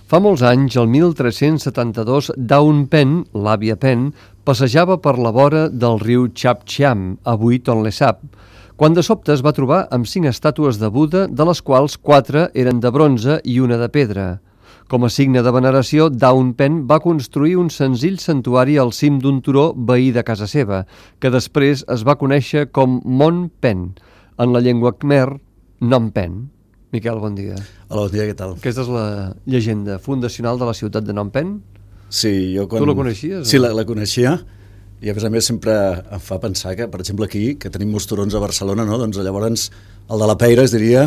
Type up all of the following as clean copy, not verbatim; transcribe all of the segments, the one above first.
Fa molts anys, el 1372, Daun Pen, l'àvia Pen, passejava per la vora del riu Chapchiam, avui Tonle Sap, quan de sobte es va trobar amb 5 estàtues de Buda, de les quals 4 eren de bronze i una de pedra. Com a signe de veneració, Daun Pen va construir un senzill santuari al cim d'un turó veí de casa seva, que després es va conèixer com Mont Pen, en la llengua khmer, Nom Pen. Miquel, bon dia. Hola, bon dia, què tal? Aquesta és la llegenda fundacional de la ciutat de Nom Pen? Sí, jo quan... Tu la coneixies? Sí, la coneixia, i a més sempre em fa pensar que, per exemple, aquí, que tenim molts turons a Barcelona, no? Doncs llavors el de la Peira es diria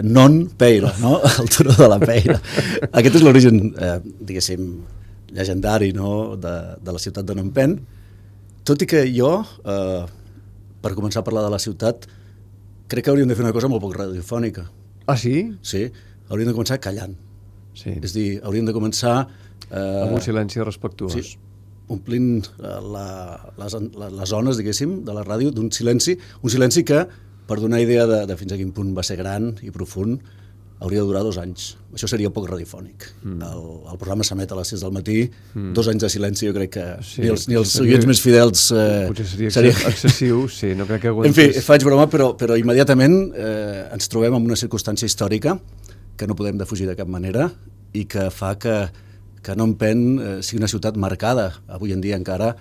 Non Peira, no? El turó de la Peira. Aquest és l'origen, diguéssim, llegendari, no? de la ciutat de Nom Pen, tot i que jo, per començar a parlar de la ciutat, crec que hauríem de fer una cosa molt poc radiofònica. Ah, sí? Sí, hauríem de començar callant. Sí. És a dir, hauríem de començar... amb un silenci respectuós. Sí, omplint les zones, diguéssim, de la ràdio d'un silenci, un silenci que, per donar idea de fins a quin punt va ser gran i profund, hauria de durar 2 anys. Això seria poc radiofònic. El programa s'emet a les 6 del matí, 2 anys de silenci, jo crec que sí, ni els oients més fidels... potser seria excessiu, sí, no crec que aguantés. En fi, faig broma, però immediatament ens trobem en una circumstància històrica que no podem defugir de cap manera i que fa que Nom Pen sigui una ciutat marcada, avui en dia encara,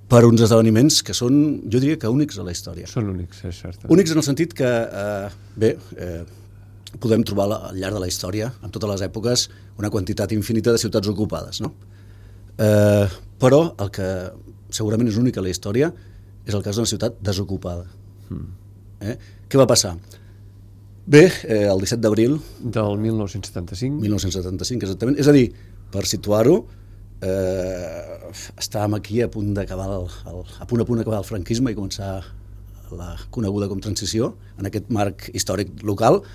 per uns esdeveniments que són, jo diria que únics a la història. Són únics, és cert. Únics en el sentit que, podem trobar al llarg de la història, en totes les èpoques, una quantitat infinita de ciutats ocupades, no? Però el que segurament és únic a la història és el cas d'una ciutat desocupada. Què va passar? Bé, el 17 d'abril... Del 1975. 1975, exactament. És a dir, per situar-ho, estàvem aquí a punt d'acabar el franquisme i començar la coneguda com transició, en aquest marc històric local.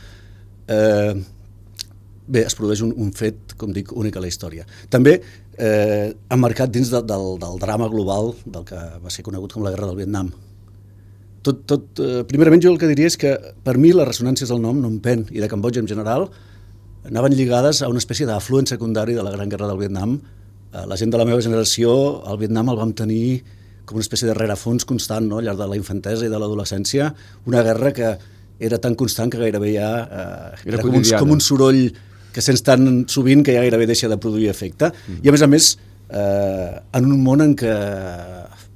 Bé, es produeix un fet, com dic, únic a la història. També emmarcat dins del drama global del que va ser conegut com la Guerra del Vietnam. Primerament jo el que diria és que per mi les ressonàncies del nom Nom Pen i de Cambodja en general anaven lligades a una espècie d'afluent secundari de la Gran Guerra del Vietnam. La gent de la meva generació, al Vietnam el vam tenir com una espècie de rerefons constant, no? Al llarg de la infantesa i de l'adolescència, una guerra que era tan constant que gairebé ja era com un soroll que sents tan sovint que ja gairebé deixa de produir efecte. I a més, en un món en què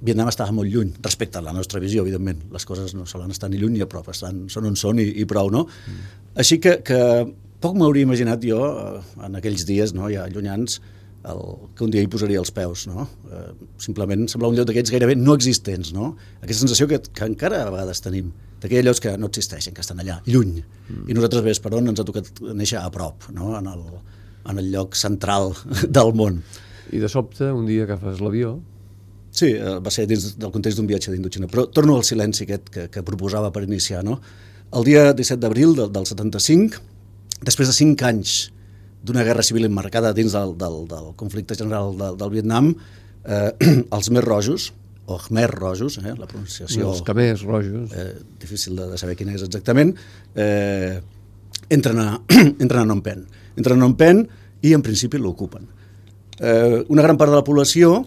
Vietnam estava molt lluny, respecte a la nostra visió, evidentment. Les coses no solen estar ni lluny ni a prop, són on són i prou, no? Així que poc m'hauria imaginat jo, en aquells dies, no, ja llunyans, que un dia hi posaria els peus, no? Simplement semblava un lloc d'aquests gairebé no existents, no? Aquesta sensació que encara a vegades tenim, d'aquells llocs que no existeixen, que estan allà, lluny. I nosaltres, bé, per on ens ha tocat néixer a prop, no? En el lloc central del món. I de sobte, un dia agafes l'avió... Sí, va ser dins del context d'un viatge d'Indoxina, però torno al silenci aquest que proposava per iniciar, no? El dia 17 d'abril del 75, després de 5 anys d'una guerra civil emmarcada dins del conflicte general del Vietnam, els més rojos, o khmer rojos, la pronunciació... Els khmers rojos. Difícil de saber quina és exactament, entren a Nom Pen. Entren a Nom Pen i en principi l'ocupen. Una gran part de la població,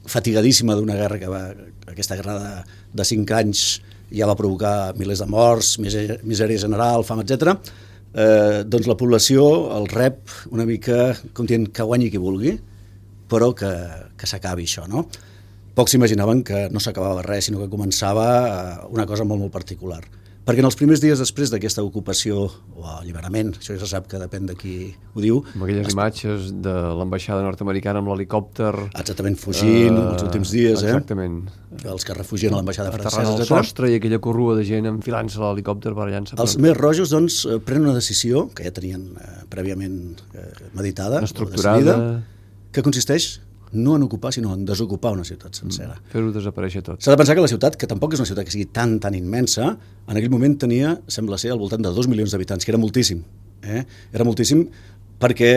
fatigadíssima d'una guerra aquesta guerra de 5 anys ja va provocar milers de morts, misèria general, fam, etc. Doncs la població el rep una mica com dient que guanyi qui vulgui, però que s'acabi això, no? Pocs s'imaginaven que no s'acabava res, sinó que començava una cosa molt, molt particular. Perquè en els primers dies després d'aquesta ocupació o alliberament, això ja se sap que depèn de qui ho diu... Amb aquelles imatges de l'ambaixada nord-americana amb l'helicòpter... Exactament, fugint els últims dies, exactament. Els que refugien a l'ambaixada francesa, etc. Aterrant al sostre i aquella corrua de gent enfilant-se a l'helicòpter per allà. Els més rojos, doncs, prenen una decisió, que ja tenien prèviament meditada, estructurada, que consisteix no en ocupar, sinó en desocupar una ciutat sencera. Fer-ho desaparèixer tot. S'ha de pensar que la ciutat, que tampoc és una ciutat que sigui tan immensa, en aquell moment tenia, sembla ser, al voltant de 2 milions d'habitants, que era moltíssim. Era moltíssim perquè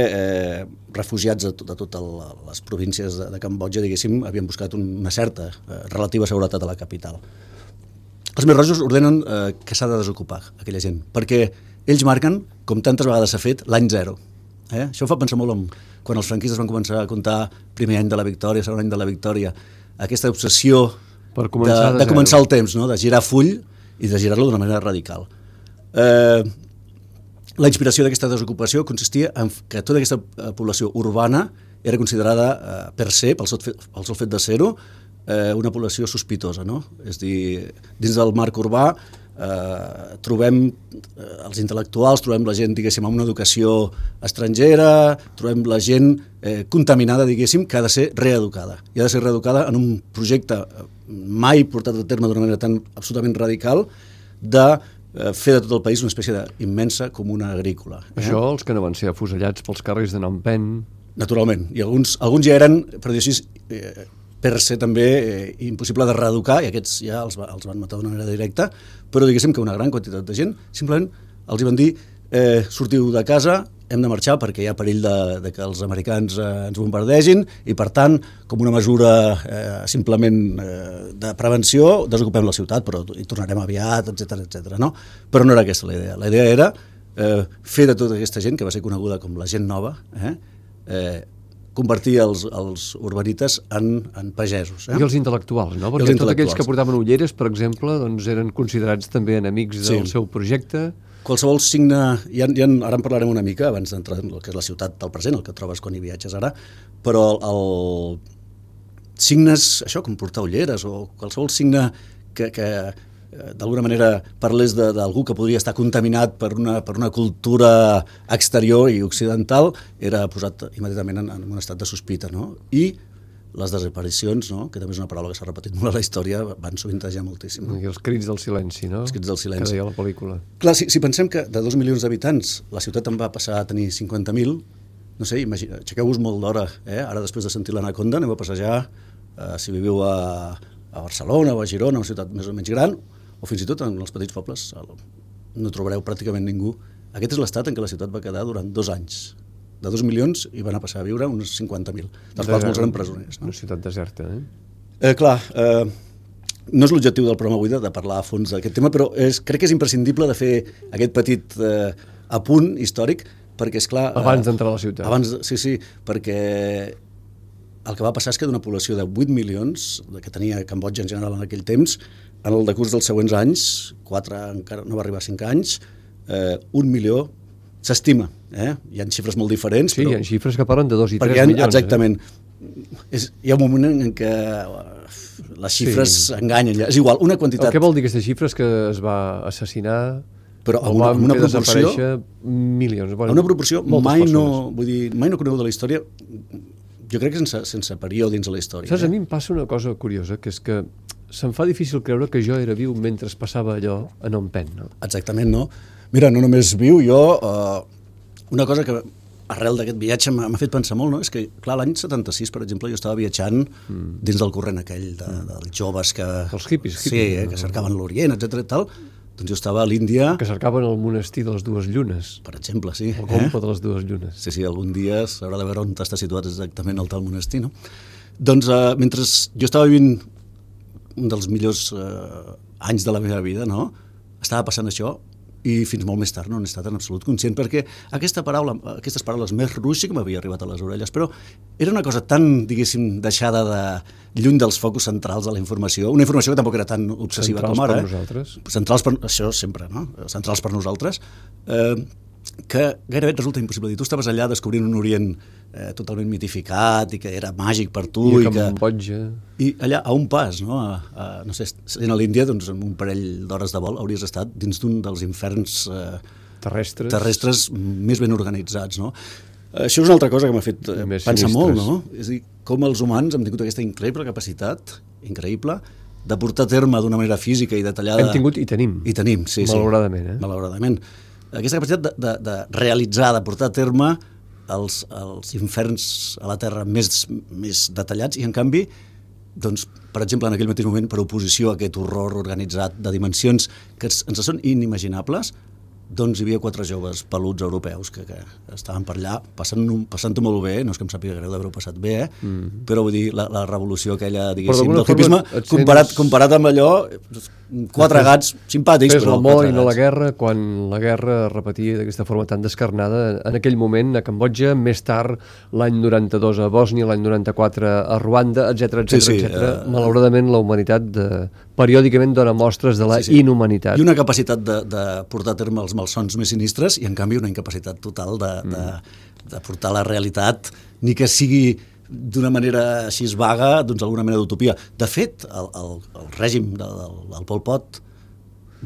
refugiats de totes les províncies de Cambodja, diguéssim, havien buscat una certa relativa seguretat a la capital. Els més rojos ordenen que s'ha de desocupar aquella gent, perquè ells marquen, com tantes vegades s'ha fet, l'any zero. Això em fa pensar molt quan els franquistes van començar a contar primer any de la victòria, segon any de la victòria, aquesta obsessió de començar el temps, no? De girar full i de girar-lo d'una manera radical. La inspiració d'aquesta desocupació consistia en que tota aquesta població urbana era considerada per se, pel sol fet de ser-ho, una població sospitosa, no? És a dir, dins del marc urbà trobem els intel·lectuals, trobem la gent, diguéssim, amb una educació estrangera, trobem la gent contaminada, diguéssim, que ha de ser reeducada. I ha de ser reeducada en un projecte mai portat a terme d'una manera tan absolutament radical de fer de tot el país una espècie d'immensa comuna agrícola. Això, els que no van ser afusellats pels carrers de Phnom Penh... Naturalment, i alguns ja eren, per dir així, per ser també impossible de reeducar, i aquests ja els van matar d'una manera directa, però diguéssim que una gran quantitat de gent simplement els hi van dir sortiu de casa, hem de marxar perquè hi ha perill de que els americans ens bombardegin i, per tant, com una mesura simplement de prevenció, desocupem la ciutat, però hi tornarem aviat, etc. No? Però no era aquesta la idea. La idea era fer de tota aquesta gent, que va ser coneguda com la gent nova, convertir els urbanites en pagesos. I els intel·lectuals, no? Perquè tots aquells que portaven ulleres, per exemple, doncs eren considerats també enemics del seu projecte. Qualsevol signe, ara en parlarem una mica abans d'entrar en el que és la ciutat del present, el que trobes quan hi viatges ara, però signes, això, com portar ulleres o qualsevol signe que d'alguna manera parlés d'algú que podria estar contaminat per una cultura exterior i occidental, era posat immediatament en un estat de sospita, no? I les desaparicions, no? Que també és una paraula que s'ha repetit molt a la història, van sovintejar moltíssim. No? I els crits del silenci, no? Els crits del silenci. Que deia la pel·lícula. Clar, si pensem que de 2 milions d'habitants la ciutat en va passar a tenir 50.000, no sé, aixequeu-vos molt d'hora, ara després de sentir l'Anaconda aneu a passejar, si viviu a Barcelona o a Girona, una ciutat més o menys gran, o fins i tot en els petits pobles no trobareu pràcticament ningú. Aquest és l'estat en què la ciutat va quedar durant 2 anys. De 2 milions hi van a passar a viure uns 50.000, dels quals molts eren presoners. No? Una ciutat deserta, Clar, no és l'objectiu del programa avui de parlar a fons d'aquest tema, però crec que és imprescindible de fer aquest petit apunt històric, perquè, esclar... Abans d'entrar a la ciutat. Sí, perquè el que va passar és que d'una població de 8 milions, que tenia Cambodja en general en aquell temps, en el decurs dels següents anys, 4 encara no va arribar a 5 anys, 1 milió s'estima. Hi ha xifres molt diferents. Sí, però... hi ha xifres que parlen de 2 i 3 milions. Exactament. Hi ha un moment en què les xifres enganyen. És igual, una quantitat... El que vol dir aquestes xifres? Que es va assassinar... Però amb una proporció... milions. Bueno, una proporció mai no coneguda de la història, jo crec que sense període dins de la història. Saps, a mi em passa una cosa curiosa, que és que se'm fa difícil creure que jo era viu mentre es passava allò a Phnom Penh, no? Exactament, no? Mira, no només viu, jo... Una cosa que arrel d'aquest viatge m'ha fet pensar molt, no? És que, clar, l'any 76, per exemple, jo estava viatjant dins del corrent aquell dels joves que... Els hippies. Sí, que cercaven l'Orient, etc. i tal. Doncs jo estava a l'Índia... Que cercaven el monestir de les dues llunes. Per exemple, sí. El comte de les dues llunes. Sí, algun dia s'haurà de veure on està situat exactament el tal monestir, no? Doncs mentre jo estava vivint un dels millors anys de la meva vida, no? Estava passant això i fins molt més tard no n'he estat en absolut conscient, perquè aquestes paraules més ruixi que m'havia arribat a les orelles, però era una cosa tan, diguéssim, deixada de lluny dels focus centrals de la informació, una informació que tampoc era tan obsessiva com ara. Centrals per nosaltres. Centrals per... Això sempre, no? Centrals per nosaltres. Que gairebé et resulta impossible dir. Tu estaves allà descobrint un Orient totalment mitificat i que era màgic per tu. I a Cambodja. I allà, a un pas, no? No sé, sent a l'Índia, doncs, amb un parell d'hores de vol hauries estat dins d'un dels inferns terrestres més ben organitzats, no? Això és una altra cosa que m'ha fet pensar molt, no? És a dir, com els humans hem tingut aquesta increïble capacitat, increïble, de portar a terme d'una manera física i detallada... Hem tingut i tenim. I tenim, sí. Malauradament, Malauradament. Aquesta capacitat de realitzar, de portar a terme els inferns a la Terra més detallats i, en canvi, doncs, per exemple, en aquell mateix moment, per oposició a aquest horror organitzat de dimensions que ens són inimaginables, doncs hi havia 4 joves peluts europeus que estaven per allà passant-ho molt bé, no és que em sàpiga greu d'haver-ho passat bé, però vull dir, la revolució aquella, diguéssim, del hipisme, comparat amb allò, 4 gats simpàtics. Fes l'amor i no la guerra, quan la guerra es repetia d'aquesta forma tan descarnada, en aquell moment a Cambodja, més tard, l'any 92 a Bòsnia, l'any 94 a Ruanda, etc. Malauradament, la humanitat periòdicament dona mostres de la inhumanitat. I una capacitat de portar a terme els malsons més sinistres i, en canvi, una incapacitat total de portar la realitat, ni que sigui d'una manera així vaga, doncs alguna mena d'utopia. De fet, el règim del Pol Pot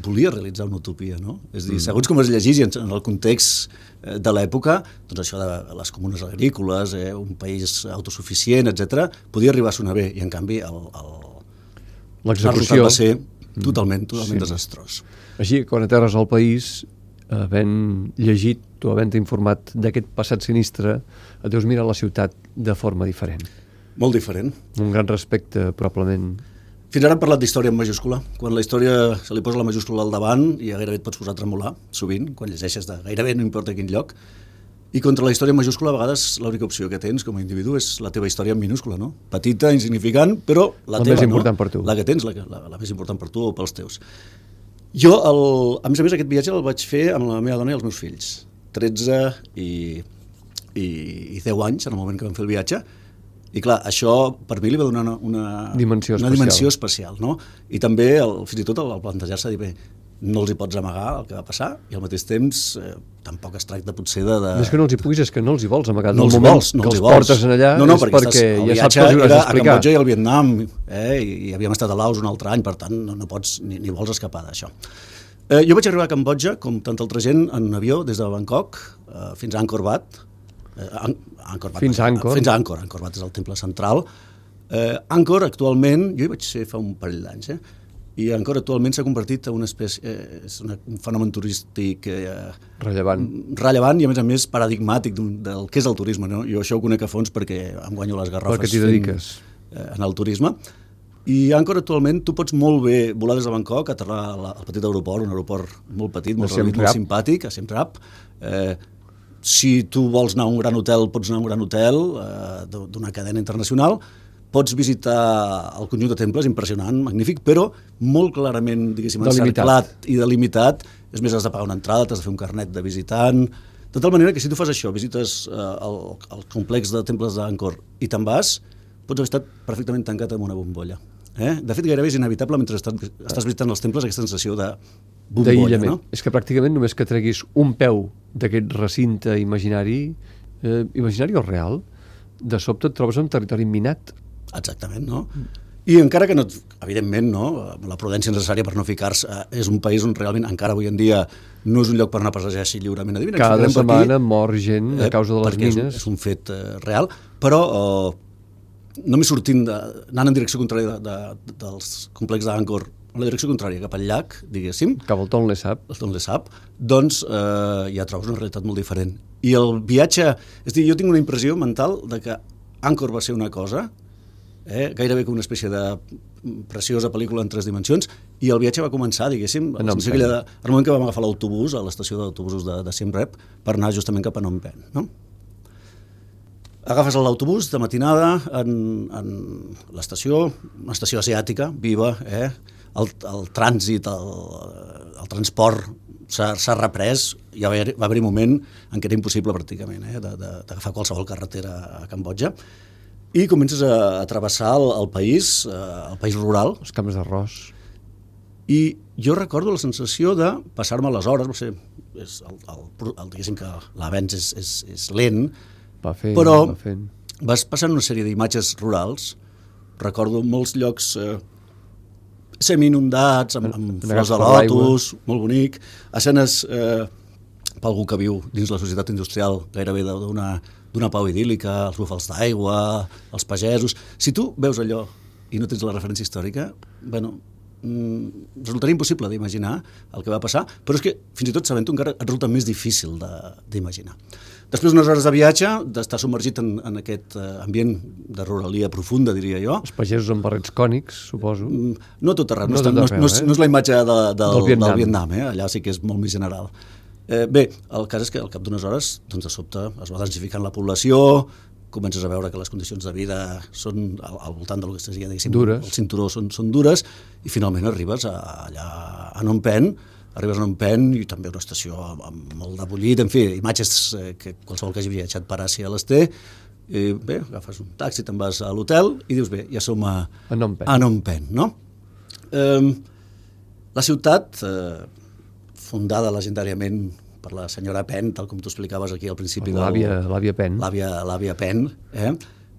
volia realitzar una utopia, no? És a dir, segons com es llegís en el context de l'època, doncs això de les comunes agrícoles, un país autosuficient, etc., podia arribar a sonar bé, i en canvi l'execució va ser totalment desastrós. Així, quan aterres al país, havent llegit o havent informat d'aquest passat sinistre, et deus mirar la ciutat de forma diferent. Molt diferent. Un gran respecte, probablement. Fins ara hem parlat d'història en majúscula. Quan la història se li posa la majúscula al davant, ja gairebé et pots posar a tremolar, sovint, quan llegeixes de gairebé no importa quin lloc. I contra la història en majúscula, a vegades, l'única opció que tens com a individu és la teva història en minúscula, no? Petita, insignificant, però la teva, més important per tu. La que tens, la més important per tu o pels teus. Jo, a més, aquest viatge el vaig fer amb la meva dona i els meus fills. 13 i 10 anys, en el moment que vam fer el viatge. I clar, això per mi li va donar una dimensió especial, no? I també, fins i tot, el plantejar-se, dir, bé, no els hi pots amagar el que va passar, i al mateix temps tampoc es tracta potser de... Més que no els hi puguis, és que no els hi vols amagar. No els vols, que els portes en allà és perquè ja saps que els hauràs d'explicar. A Cambodja i al Vietnam, i havíem estat a Laos un altre any, per tant no pots ni vols escapar d'això. Jo vaig arribar a Cambodja, com tanta altra gent, en un avió des de Bangkok fins a Angkor Wat. Fins a Angkor. Fins a Angkor. Angkor Wat és el temple central. Angkor actualment, jo hi vaig ser fa un parell d'anys, i Angkor actualment s'ha convertit en una espècie, és un fenomen turístic rellevant i a més paradigmàtic del que és el turisme, no? Jo això ho conec a fons perquè em guanyo les garrofes en el turisme. I Angkor actualment tu pots molt bé volar des de Bangkok, aterrar al petit aeroport, un aeroport molt petit, molt reduït, molt simpàtic, a Siem Reap. Si tu vols anar a un gran hotel, pots anar a un gran hotel d'una cadena internacional. Pots visitar el conjunt de temples, impressionant, magnífic, però molt clarament, diguéssim, encerclat i delimitat. És més, has de pagar una entrada, t'has de fer un carnet de visitant. De tal manera que si tu fas això, visites el complex de temples d'Angkor i te'n vas, pots haver estat perfectament tancat amb una bombolla. De fet, gairebé és inevitable mentre estàs visitant els temples aquesta sensació de bombolla. No? És que pràcticament només que treguis un peu d'aquest recinte imaginari o real, de sobte et trobes en territori minat. Exactament, no? I encara que no, evidentment, no, la prudència necessària per no ficar-se, és un país on realment encara avui en dia no és un lloc per anar a passejar així lliurement. Cada setmana mor gent a causa de les mines. És un fet real, però només sortint, anant en direcció contrària dels complexos d'Angkor, en la direcció contrària, cap al llac, diguéssim, cap al Tonle Sap, doncs ja trobes una realitat molt diferent. I el viatge, és a dir, jo tinc una impressió mental de que Angkor va ser una cosa, gairebé com una espècie de preciosa pel·lícula en 3 dimensions, i el viatge va començar, diguéssim, en el moment que vam agafar l'autobús, a l'estació d'autobusos de Siem Reap, per anar justament cap a Phnom Penh. No? Agafes l'autobús de matinada en l'estació, una estació asiàtica, viva, el trànsit, el transport s'ha reprès, ja va haver-hi un moment en què era impossible pràcticament d'agafar qualsevol carretera a Cambodja, i comences a travessar el país rural. Els camps d'arròs. I jo recordo la sensació de passar-me les hores, diguéssim que l'avenç és lent, però vas passant una sèrie d'imatges rurals. Recordo molts llocs semi-inundats, amb flors de lotus, molt bonic, escenes per algú que viu dins la societat industrial gairebé d'una pau idíl·lica, els búfals d'aigua, els pagesos. Si tu veus allò i no tens la referència històrica, resultaria impossible d'imaginar el que va passar, però és que fins i tot sabent-ho encara et resulta més difícil d'imaginar. Després d'unes hores de viatge, d'estar submergit en aquest ambient de ruralia profunda, diria jo. Els pagesos amb barrets cònics, suposo. No tot arreu, no és la imatge del Vietnam, allà sí que és molt més general. Bé, el cas és que al cap d'unes hores, doncs de sobte, es va densificant la població, comences a veure que les condicions de vida són al voltant del que es deia, diguéssim, dures. El cinturó són dures, i finalment arribes allà a Phnom Penh, i també una estació amb molt de bullit, en fi, imatges que qualsevol que hagi viatjat per Àsia les té. I bé, agafes un taxi, te'n vas a l'hotel i dius, bé, ja som a Phnom Penh, no? La ciutat, fundada legendàriament per la senyora Pen, tal com tu explicaves aquí al principi. L'àvia Pen. L'àvia Pen,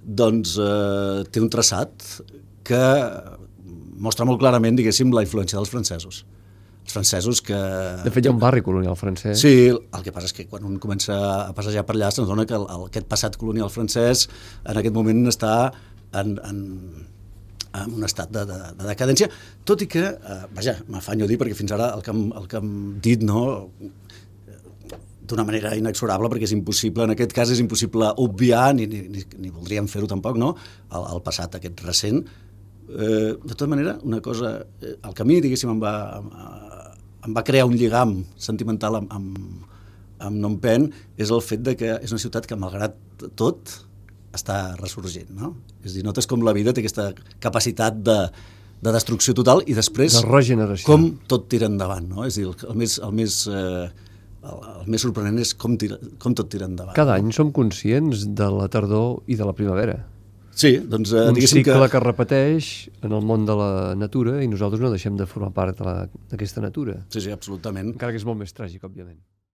doncs té un traçat que mostra molt clarament, diguéssim, la influència dels francesos. Els francesos que... De fet, hi ha un barri colonial francès. Sí, el que passa és que quan un comença a passejar per allà se'ns dona que aquest passat colonial francès en aquest moment està en un estat de decadència, tot i que, vaja, m'afanyo a dir, perquè fins ara el que hem dit, no, d'una manera inexorable, perquè és impossible, en aquest cas és impossible obviar, ni voldríem fer-ho tampoc, no?, el passat aquest recent. De tota manera, una cosa, el que a mi, diguéssim, em va crear un lligam sentimental amb Phnom Penh és el fet de que és una ciutat que, malgrat tot, està ressorgint, no? És a dir, notes com la vida té aquesta capacitat de destrucció total i després de regeneració. Com tot tira endavant, no? És a dir, el més sorprenent és com tot tira endavant. Cada any som conscients de la tardor i de la primavera. Sí, doncs un cicle que repeteix en el món de la natura i nosaltres no deixem de formar part d'aquesta natura. Sí, absolutament. Encara que és molt més tràgic, òbviament.